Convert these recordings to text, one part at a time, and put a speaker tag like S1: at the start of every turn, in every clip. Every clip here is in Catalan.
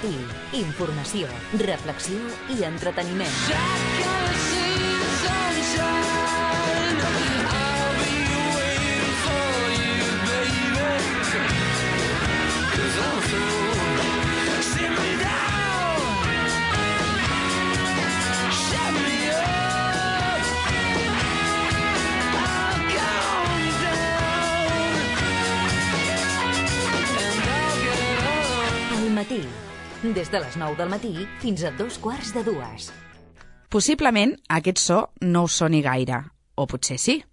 S1: matí. Informació, reflexió i entreteniment. Matí. Des de les 9 del matí fins a 2:15.
S2: Possiblement aquest so no us soni gaire, o potser sí.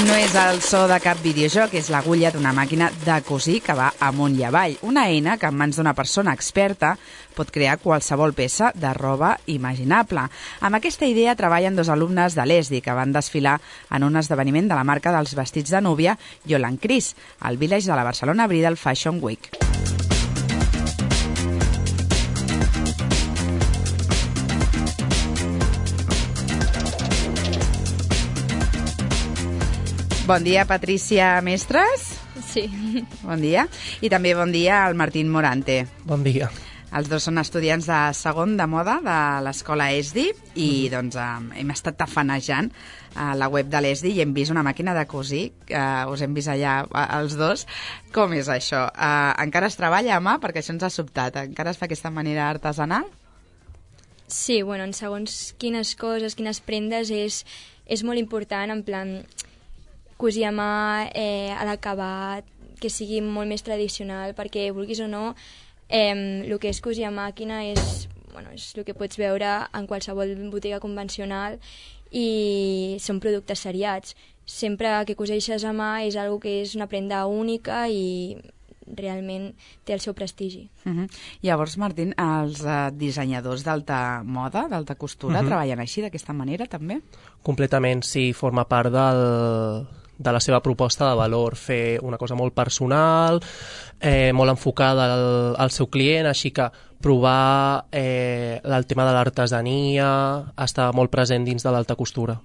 S2: No és el so de cap videojoc, és l'agulla d'una màquina de cosir que va amunt i avall. Una eina que en mans d'una persona experta pot crear qualsevol peça de roba imaginable. Amb aquesta idea treballen dos alumnes de l'ESDI que van desfilar en un esdeveniment de la marca dels vestits de núvia Yolan Cris, al Village de la Barcelona Bridal Fashion Week. Bon dia, Patrícia Mestres.
S3: Sí.
S2: Bon dia. I també bon dia al Martín Morante.
S4: Bon dia.
S2: Els dos són estudiants de segon de moda de l'escola ESDI i doncs hem estat tafanejant a la web de l'ESDI i hem vist una màquina de cosir, us hem vist allà els dos. Com és això? Encara es treballa a mà? Perquè això ens ha sobtat. Encara es fa aquesta manera artesanal?
S3: Sí, bueno, en segons quines coses, quines prendes és molt important, en plan cosir a mà, a l'acabat, que sigui molt més tradicional, perquè vulguis o no, el que és cosir a màquina és el que pots veure en qualsevol botiga convencional i són productes seriats. Sempre que coseixes a mà és una que és una prenda única i realment té el seu prestigi.
S2: Llavors, Martín, els dissenyadors d'alta moda, d'alta costura, treballen així, d'aquesta manera, també?
S4: Completament, sí, forma part de la seva proposta de valor, fer una cosa molt personal, molt enfocada al seu client, així que provar el tema de l'artesania està molt present dins de l'alta costura.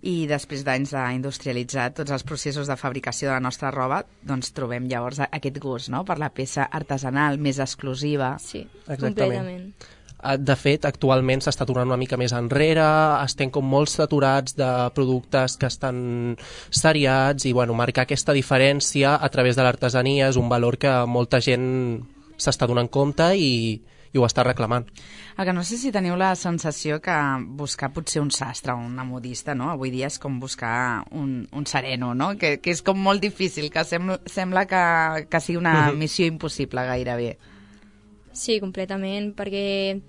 S2: I després d'anys d'industrialitzar tots els processos de fabricació de la nostra roba, doncs trobem llavors aquest gust, no?, per la peça artesanal més exclusiva.
S3: Sí,
S4: exactament.
S3: Completament.
S4: De fet, actualment s'està tornant una mica més enrere, estem com molt saturats de productes que estan seriats i marcar aquesta diferència a través de l'artesania és un valor que molta gent s'està donant compte i ho està reclamant.
S2: El que no sé si teniu la sensació que buscar potser un sastre o una modista, no?, avui dia és com buscar un sereno, no?, que és com molt difícil, que sembla que sigui una missió impossible gairebé.
S3: Sí, completament, perquè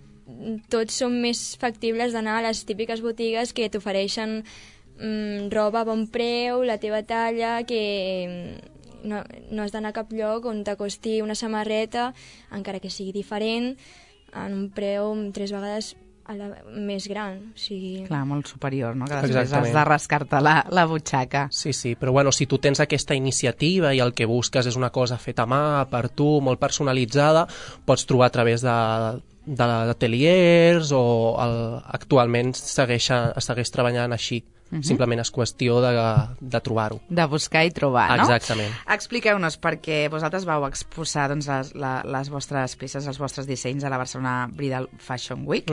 S3: tots són més factibles d'anar a les típiques botigues que t'ofereixen roba a bon preu, la teva talla, que no has d'anar a cap lloc on t'acosti una samarreta, encara que sigui diferent, en un preu 3 vegades més gran. O sigui...
S2: Clar, molt superior, no?, que després has de rascar-te la butxaca.
S4: Sí, però si tu tens aquesta iniciativa i el que busques és una cosa feta a mà, per tu, molt personalitzada, pots trobar a través d'ateliers o actualment segueix treballant així. Simplement és qüestió de trobar-ho.
S2: De buscar i trobar, no?
S4: Exactament.
S2: Expliqueu-nos, perquè vosaltres vau exposar les vostres peces, els vostres dissenys a la Barcelona Bridal Fashion Week.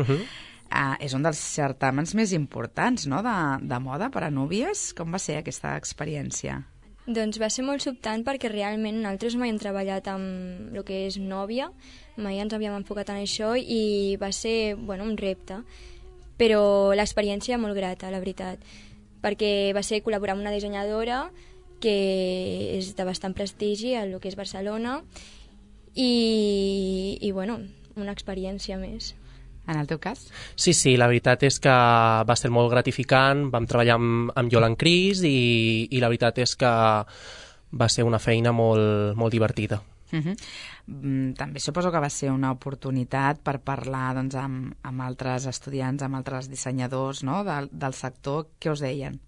S2: És un dels certàmens més importants, no?, de moda per a núvies. Com va ser aquesta experiència?
S3: Doncs va ser molt sobtant perquè realment nosaltres mai hem treballat amb el que és nòvia, mai ens havíem enfocat en això i va ser un repte. Però l'experiència molt grata, la veritat, perquè va ser col·laborar amb una dissenyadora que és de bastant prestigi a el que és Barcelona i una experiència més.
S2: En el teu cas?
S4: Sí, la veritat és que va ser molt gratificant, vam treballar amb Yolan Cris i la veritat és que va ser una feina molt, molt divertida.
S2: També suposo que va ser una oportunitat per parlar amb altres estudiants, amb altres dissenyadors, no?, del sector. Què us deien?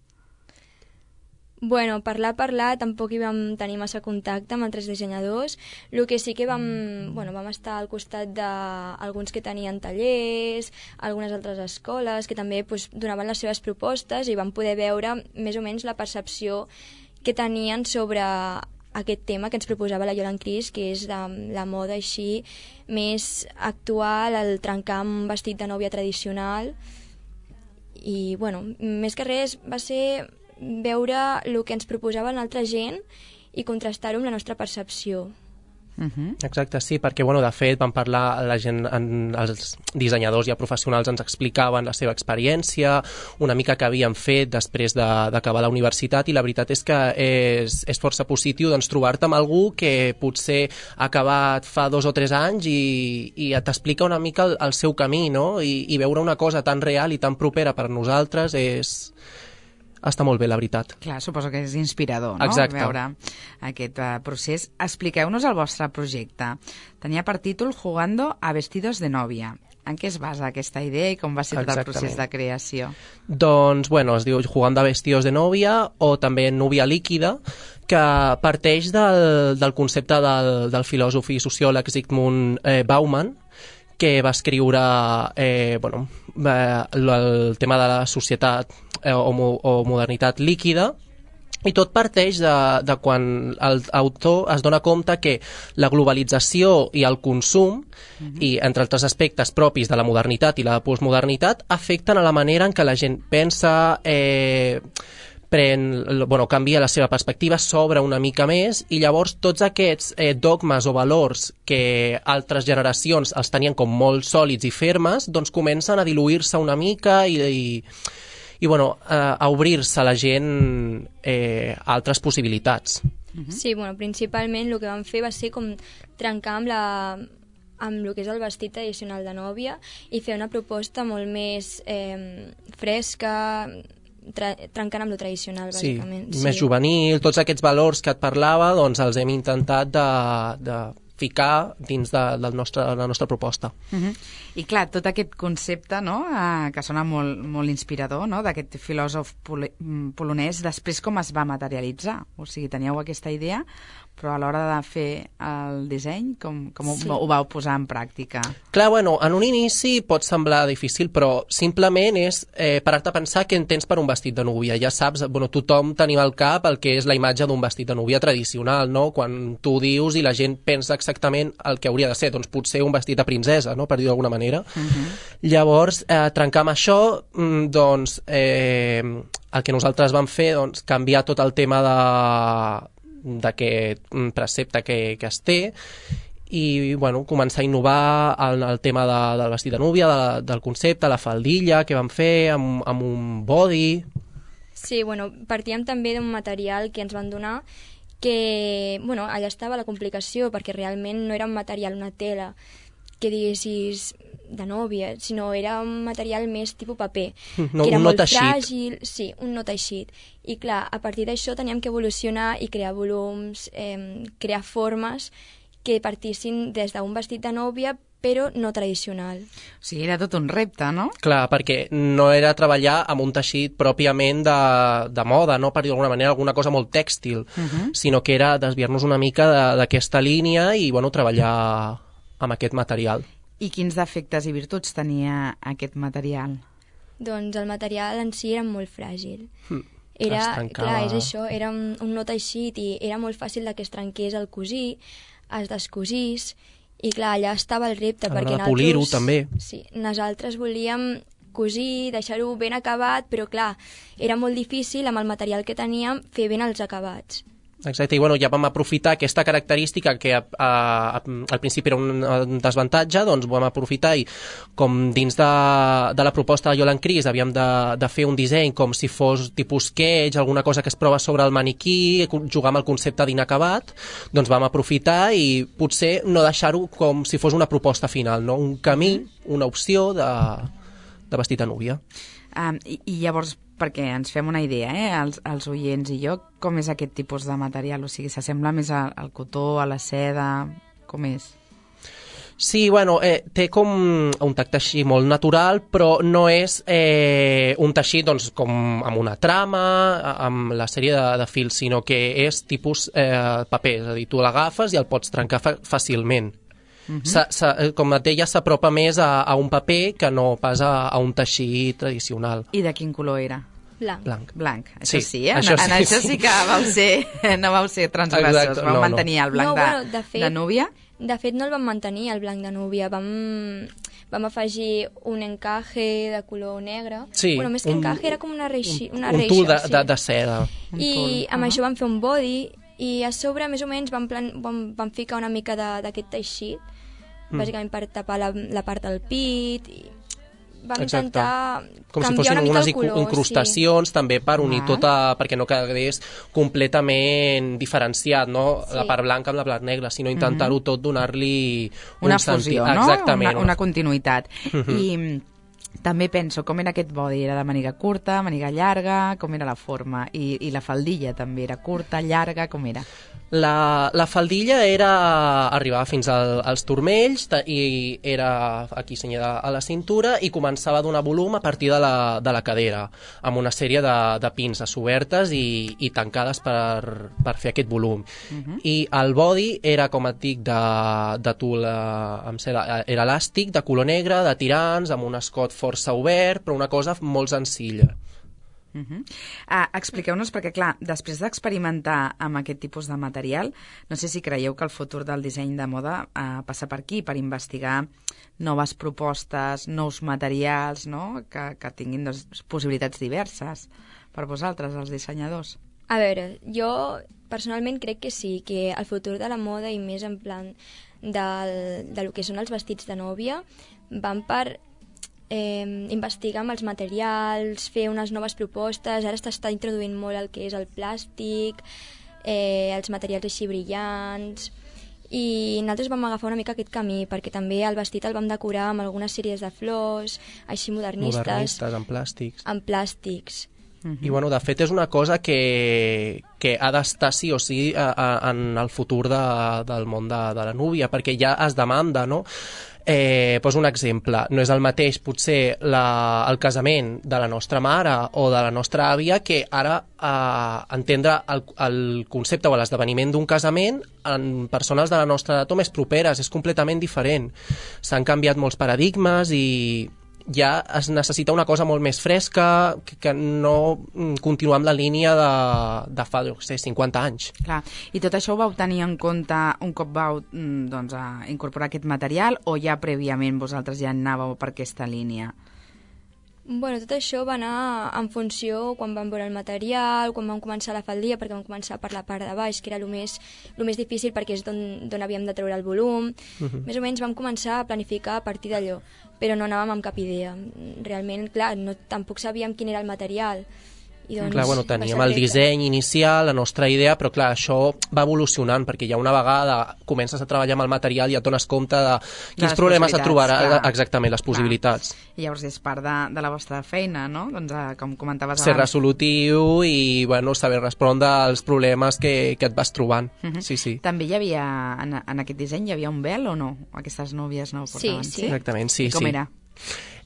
S3: Bueno, parlar, tampoc hi vam tenir massa contacte amb altres dissenyadors. El que sí que vam estar al costat d'alguns que tenien tallers, algunes altres escoles que també donaven les seves propostes i vam poder veure més o menys la percepció que tenien sobre aquest tema que ens proposava la Yolan Cris, que és la moda així més actual, el trencar amb un vestit de nòvia tradicional. I, bueno, més que res va ser veure el que ens proposava l'altra gent i contrastar-ho amb la nostra percepció.
S4: Exacte, sí, perquè de fet vam parlar, la gent, els dissenyadors i professionals ens explicaven la seva experiència, una mica que havien fet després d'acabar la universitat, i la veritat és que és força positiu trobar-te amb algú que potser ha acabat fa 2 o 3 anys i t'explica una mica el seu camí, no? I veure una cosa tan real i tan propera per nosaltres està molt bé, la veritat.
S2: Clar, suposo que és inspirador, no?
S4: Exacte.
S2: Veure aquest procés. Expliqueu-nos el vostre projecte. Tenia per títol Jugando a vestidos de novia. En què es basa aquesta idea i com va ser tot el procés de creació?
S4: Doncs, es diu Jugando a vestidos de novia o també Núvia líquida, que parteix del concepte del filòsof i sociòleg Zygmunt Bauman, que va escriure el tema de la societat o modernitat líquida, i tot parteix de quan l'autor es dona compte que la globalització i el consum, i entre altres aspectes propis de la modernitat i la postmodernitat, afecten a la manera en què la gent pensa, canvia la seva perspectiva, s'obre una mica més, i llavors tots aquests dogmes o valors que altres generacions els tenien com molt sòlids i fermes, doncs comencen a diluir-se una mica i a obrir-se a la gent a altres possibilitats.
S3: Sí, principalment el que vam fer va ser com trencar amb el que és el vestit tradicional de nòvia i fer una proposta molt més fresca, trencant amb lo tradicional, bàsicament.
S4: Sí, més juvenil, tots aquests valors que et parlava, doncs els hem intentat de ficar dins de la nostra proposta.
S2: I clar, tot aquest concepte, no?, que sona molt, molt inspirador, no?, d'aquest filòsof polonès, després com es va materialitzar? O sigui, teníeu aquesta idea, però a l'hora de fer el disseny, com ho vau posar en pràctica?
S4: Clar, en un inici pot semblar difícil, però simplement és parar-te a pensar què entens per un vestit de núvia. Ja saps, tothom tenim al cap el que és la imatge d'un vestit de núvia tradicional, no? Quan tu dius i la gent pensa exactament el que hauria de ser, doncs potser un vestit de princesa, no?, per dir d'alguna manera. Llavors, trencar amb això, doncs, el que nosaltres vam fer, doncs, canviar tot el tema d'aquest precepte que es té i començar a innovar en el tema del vestit de núvia, del concepte, la faldilla que vam fer amb un body.
S3: Sí, partíem també d'un material que ens van donar que, allà estava la complicació, perquè realment no era un material, una tela que diguessis de nòvia, sinó era un material més tipus paper,
S4: no,
S3: que era molt
S4: teixit.
S3: fràgil, sí, un no teixit. I clar, a partir d'això teníem que evolucionar i crear volums, crear formes que partissin des d'un vestit de nòvia, però no tradicional.
S2: O sigui, era tot un repte, no?
S4: Clar, perquè no era treballar amb un teixit pròpiament de moda, no, per dir d'alguna manera, alguna cosa molt tèxtil, sinó que era desviar-nos una mica d'aquesta línia i, treballar amb aquest material.
S2: I quins defectes i virtuts tenia aquest material?
S3: Doncs el material en si era molt fràgil.
S4: Clar,
S3: és això, era un no teixit i era molt fàcil que es trenqués el cosir, es descosís, i clar, allà estava el repte, perquè
S4: polir-ho també.
S3: Sí, nosaltres volíem cosir, deixar-ho ben acabat, però clar, era molt difícil amb el material que teníem fer ben els acabats.
S4: Exacte, i ja vam aprofitar aquesta característica que al principi era un desavantatge, doncs vam aprofitar i com dins de la proposta de Yolan Cris havíem de fer un disseny com si fos tipus sketch, alguna cosa que es prova sobre el maniquí, jugar amb el concepte d'inacabat, doncs vam aprofitar i potser no deixar-ho com si fos una proposta final, no? Un camí, una opció de vestit de núvia.
S2: I llavors, perquè ens fem una idea, els oients i jo, com és aquest tipus de material? O sigui, s'assembla més al cotó, a la seda, com és?
S4: Sí, té com un tacte així molt natural, però no és un teixit doncs, com amb una trama, amb la sèrie de fils, sinó que és tipus paper, és a dir, tu l'agafes i el pots trencar fàcilment. Com et deia, s'apropa més a un paper que no pas a un teixit tradicional.
S2: I de quin color era?
S3: Blanc.
S2: Això sí,
S4: això
S2: en això sí que no vau ser transgressors, vau mantenir el blanc de núvia.
S3: De fet, no el vam mantenir, el blanc de núvia. Vam afegir un encaje de color negre.
S4: Sí,
S3: Més que encaje, era com una reixa.
S4: Un tul de seda.
S3: I amb això vam fer un body, i a sobre, més o menys, vam ficar una mica d'aquest teixit, bàsicament per tapar la part del pit, i vam intentar
S4: com si
S3: canviar
S4: fossin
S3: una mica
S4: unes
S3: el color.
S4: incrustacions, també per unir perquè no quedés completament diferenciat, no? La part blanca amb la part negra, sinó intentar-ho tot, donar-li
S2: una fusió, no?
S4: Exactament.
S2: Una continuïtat. I també penso, com era aquest body? Era de màniga curta, màniga llarga, com era la forma? I la faldilla també era curta, llarga, com era?
S4: La faldilla arribava fins als turmells i era aquí senyada a la cintura i començava a donar volum a partir de la cadera, amb una sèrie de pinces obertes i tancades per fer aquest volum. I el body era, com et dic, de tul amb seda, era elàstic, de color negre, de tirants, amb un escot força obert, però una cosa molt senzilla.
S2: Expliqueu-nos, perquè clar, després d'experimentar amb aquest tipus de material, no sé si creieu que el futur del disseny de moda passa per aquí, per investigar noves propostes, nous materials, no? que tinguin possibilitats diverses per vosaltres, els dissenyadors.
S3: A veure, jo personalment crec que sí, que el futur de la moda i més en plan de lo que són els vestits de nòvia van per investigar amb els materials, fer unes noves propostes. Ara s'està introduint molt el que és el plàstic, els materials així brillants, i nosaltres vam agafar una mica aquest camí, perquè també el vestit el vam decorar amb algunes sèries de flors, així modernistes.
S4: Amb plàstics.
S3: Amb plàstics.
S4: I bueno, de fet és una cosa que ha d'estar sí o sí en el futur del món de la núvia, perquè ja es demanda, no? Poso un exemple, no és el mateix potser el casament de la nostra mare o de la nostra àvia que ara entendre el concepte o l'esdeveniment d'un casament en persones de la nostra edat o més properes, és completament diferent. S'han canviat molts paradigmes i ja es necessita una cosa molt més fresca que no continuar amb la línia de fa, 50 anys.
S2: Clar. I tot això ho vau tenir en compte un cop vau incorporar aquest material o ja prèviament vosaltres ja anàveu per aquesta línia?
S3: Bueno, tot això va anar en funció quan vam veure el material, quan vam començar la faldilla, perquè vam començar per la part de baix, que era el més difícil perquè és d'on havíem de treure el volum. Més o menys vam començar a planificar a partir d'allò, però no anàvem amb cap idea. Realment, clar, tampoc sabíem quin era el material. I doncs,
S4: clar, bueno, teníem el disseny inicial, la nostra idea, però clar, això va evolucionant, perquè ja una vegada comences a treballar amb el material i ja et dones compte de quins problemes et trobarà, exactament, les possibilitats.
S2: I llavors és part de la vostra feina, no? Doncs, com comentaves abans.
S4: Ser resolutiu i, bueno, saber respondre als problemes que et vas trobant. Sí, sí.
S2: També hi havia, en aquest disseny, hi havia un vel o no? Aquestes núvies no ho portaven?
S3: Sí.
S4: Exactament, sí.
S2: Com era?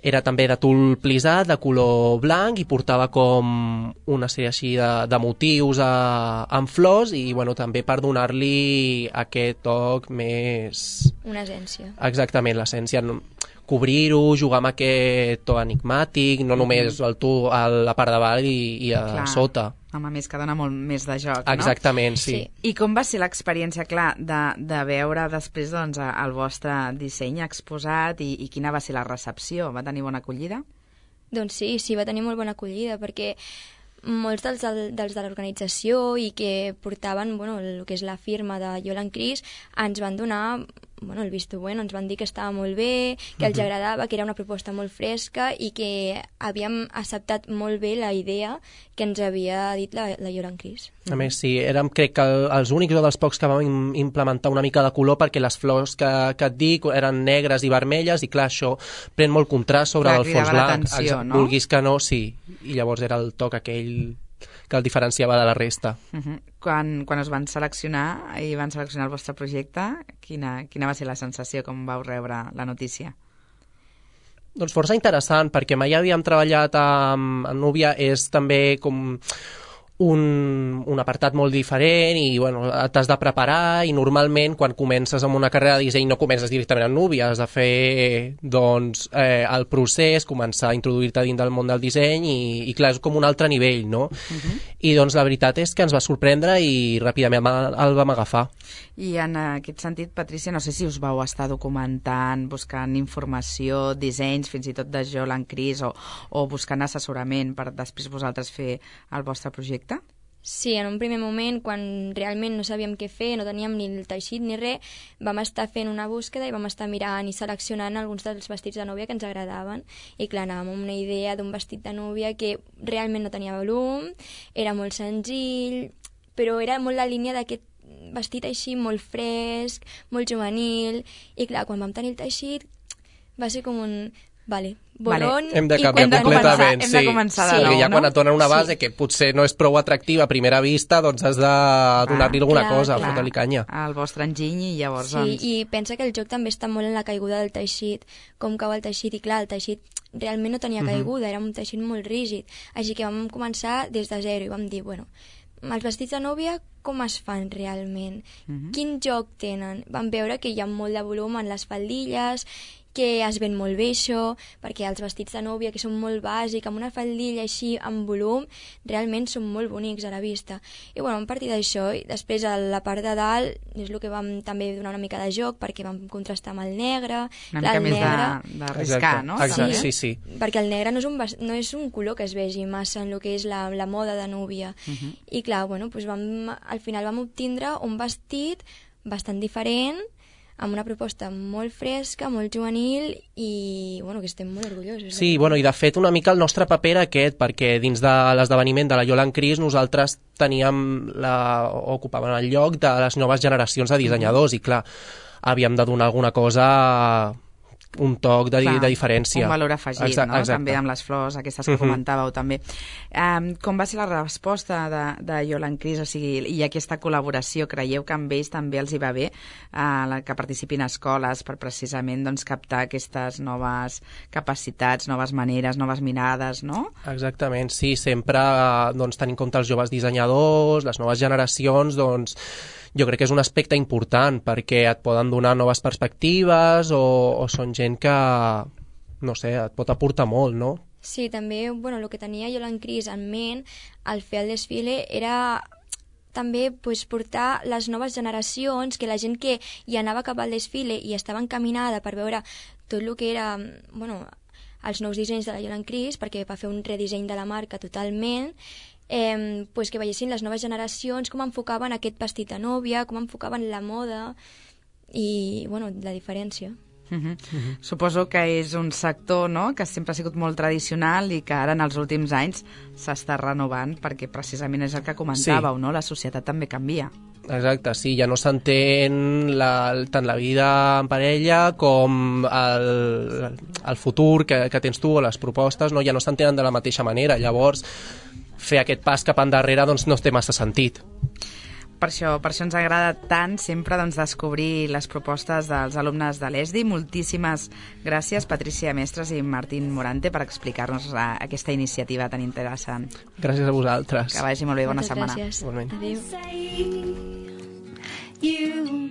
S4: Era també de tul plisat, de color blanc, i portava com una sèrie així de motius amb flors i bueno, també per donar-li aquest toc més...
S3: Una essència.
S4: Exactament, l'essència. Cobrir-ho, jugar amb aquest to enigmàtic, no només el tu a la part de baix i a sota.
S2: Home, més que dona molt més de joc, no?
S4: Exactament, sí.
S2: I com va ser l'experiència, clar, de veure després doncs, el vostre disseny exposat i quina va ser la recepció? Va tenir bona acollida?
S3: Doncs sí, va tenir molt bona acollida, perquè molts dels de l'organització i que portaven el que és la firma de Yolan Cris ens van donar el visto bueno, ens van dir que estava molt bé, que els agradava, que era una proposta molt fresca i que havíem acceptat molt bé la idea que ens havia dit la Yolan Cris.
S4: A més, sí, érem crec que els únics o dels pocs que vam implementar una mica de color perquè les flors que et dic eren negres i vermelles i clar, això pren molt contrast sobre el fons blanc.
S2: No?
S4: Vulguis que no, sí. I llavors era el toc aquell que el diferenciava de la resta.
S2: Quan es van seleccionar i van seleccionar el vostre projecte, quina va ser la sensació com vau rebre la notícia?
S4: Doncs força interessant, perquè mai havíem treballat amb núvia, és també com un apartat molt diferent i bueno, t'has de preparar i normalment quan comences amb una carrera de disseny no comences directament en Núvia, has de fer doncs, el procés, començar a introduir-te dins del món del disseny i clar, és com un altre nivell, no? I doncs la veritat és que ens va sorprendre i ràpidament el vam agafar.
S2: I en aquest sentit, Patrícia, no sé si us vau estar documentant, buscant informació, dissenys, fins i tot de Jolan Cris o buscant assessorament per després vosaltres fer el vostre projecte?
S3: Sí, en un primer moment, quan realment no sabíem què fer, no teníem ni el teixit ni res, vam estar fent una búsqueda i vam estar mirant i seleccionant alguns dels vestits de núvia que ens agradaven. I clar, anàvem amb una idea d'un vestit de núvia que realment no tenia volum, era molt senzill, però era molt la línia d'aquest vestit així molt fresc, molt juvenil, i clar, quan vam tenir el teixit va ser com un... Vale, bolón...
S4: Hem de canviar completament,
S2: hem de començar de nou,
S4: perquè ja quan
S2: no?
S4: et donen una base que potser no és prou atractiva a primera vista, doncs has de donar-li alguna cosa, fotre-li canya.
S2: El vostre enginy i llavors...
S3: Sí, i pensa que el joc també està molt en la caiguda del teixit, com cau el teixit, i clar, el teixit realment no tenia caiguda, era un teixit molt rígid, així que vam començar des de zero i vam dir, bueno, els vestits de núvia com es fan realment? Quin joc tenen? Vam veure que hi ha molt de volum en les faldilles, que es ven molt bé això, perquè els vestits de núvia que són molt bàsics, amb una faldilla així amb volum, realment són molt bonics a la vista. I bueno, a partir d'això, i després a la part de dalt, és el que vam també donar una mica de joc, perquè vam contrastar amb el negre.
S2: Una mica més d'arriscar, no?
S4: Exacte, sí.
S3: Perquè el negre no és un color que es vegi massa en el que és la moda de núvia. I clar, bueno, doncs al final vam obtindre un vestit bastant diferent, amb una proposta molt fresca, molt juvenil i bueno, que estem molt orgullosos.
S4: Sí, bueno, i de fet una mica el nostre paper era aquest, perquè dins de l'esdeveniment de la Jolan Cris nosaltres ocupàvem el lloc de les noves generacions de dissenyadors i clar, havíem de donar alguna cosa, un toc de diferència.
S2: Un valor afegit, no?
S4: Exacte.
S2: També amb les flors, aquestes que comentàveu també. Com va ser la resposta de Jolan Cris? O sigui, i aquesta col·laboració, creieu que amb ells també els hi va bé que participin a escoles per precisament doncs, captar aquestes noves capacitats, noves maneres, noves mirades, no?
S4: Exactament, sí, sempre doncs, tenint en compte els joves dissenyadors, les noves generacions, doncs jo crec que és un aspecte important perquè et poden donar noves perspectives o són gent que, no sé, et pot aportar molt, no?
S3: Sí, també, bueno, el que tenia Jolan Cris en ment al fer el desfile era també portar les noves generacions, que la gent que hi anava cap al desfile i estava encaminada per veure tot el que era, bueno, els nous dissenys de la Jolan Cris, perquè va fer un redisseny de la marca totalment, que veiessin les noves generacions com enfocaven aquest vestit de núvia, com enfocaven la moda i bueno, la diferència.
S2: Suposo que és un sector, no?, que sempre ha sigut molt tradicional i que ara en els últims anys s'està renovant perquè precisament és el que comentàveu, no? La societat també canvia.
S4: Exacte, sí, ja no s'entén tant la vida en parella com el futur que tens tu o les propostes, no? Ja no s'entenen de la mateixa manera, llavors fer aquest pas cap endarrere doncs, no té massa sentit.
S2: Per això ens agrada tant sempre doncs, descobrir les propostes dels alumnes de l'ESDI. Moltíssimes gràcies, Patrícia Mestres i Martín Morante, per explicar-nos aquesta iniciativa tan interessant.
S4: Gràcies a vosaltres.
S2: Que vagi molt bé, bona
S3: setmana.
S2: Moltes gràcies.
S3: Adéu.